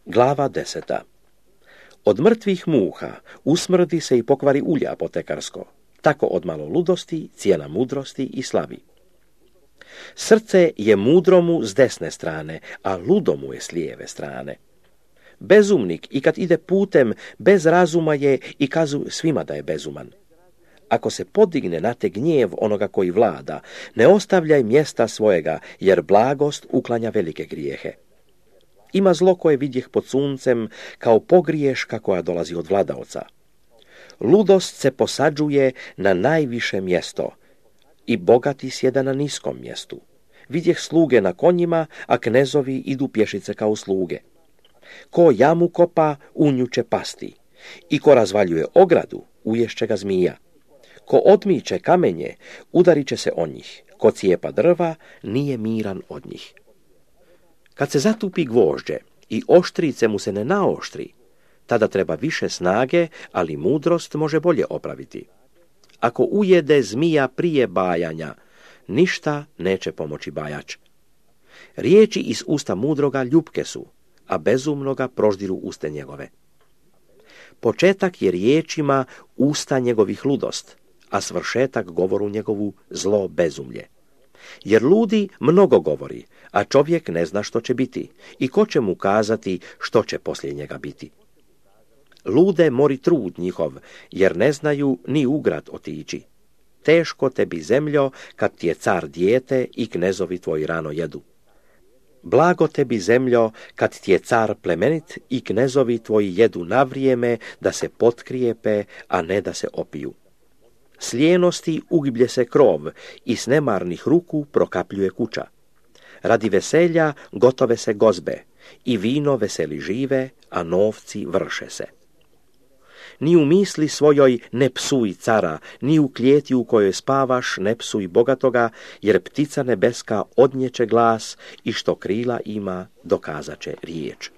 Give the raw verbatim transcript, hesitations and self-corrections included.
Glava deseta. Od mrtvih muha usmrdi se i pokvari ulja apotekarsko, tako od malo ludosti, cijena mudrosti i slavi. Srce je mudromu s desne strane, a ludomu je s lijeve strane. Bezumnik i kad ide putem bez razuma je i kazu svima da je bezuman. Ako se podigne na te gnjev onoga koji vlada, ne ostavljaj mjesta svojega, jer blagost uklanja velike grijehe. Ima zlo koje vidjeh pod suncem kao pogriješka koja dolazi od vladaoca. Ludost se posađuje na najviše mjesto i bogati sjeda na niskom mjestu. Vidjeh sluge na konjima, a knezovi idu pješice kao sluge. Ko jamu kopa, u nju će pasti, i ko razvaljuje ogradu, uješće ga zmija. Ko odmiče kamenje, udarit će se o njih. Ko cijepa drva, nije miran od njih. Kad se zatupi gvožđe i oštrice mu se ne naoštri, tada treba više snage, ali mudrost može bolje opraviti. Ako ujede zmija prije bajanja, ništa neće pomoći bajač. Riječi iz usta mudroga ljupke su, a bezumnoga proždiru uste njegove. Početak je riječima usta njegovih ludost, a svršetak govoru njegovu zlo bezumlje. Jer ludi mnogo govori, a čovjek ne zna što će biti i ko će mu kazati što će poslije njega biti. Lude mori trud njihov, jer ne znaju ni u grad otići. Teško tebi zemljo, kad ti je car dijete i knezovi tvoji rano jedu. Blago tebi zemljo, kad ti je car plemenit i knezovi tvoji jedu na vrijeme da se potkrijepe, a ne da se opiju. S lijenosti ugiblje se krov i s nemarnih ruku prokapljuje kuća. Radi veselja gotove se gozbe i vino veseli žive, a novci vrše se. Ni u misli svojoj ne psuj cara, ni u klijeti u kojoj spavaš ne psuj bogatoga, jer ptica nebeska odnjeće glas i što krila ima dokazat će riječ.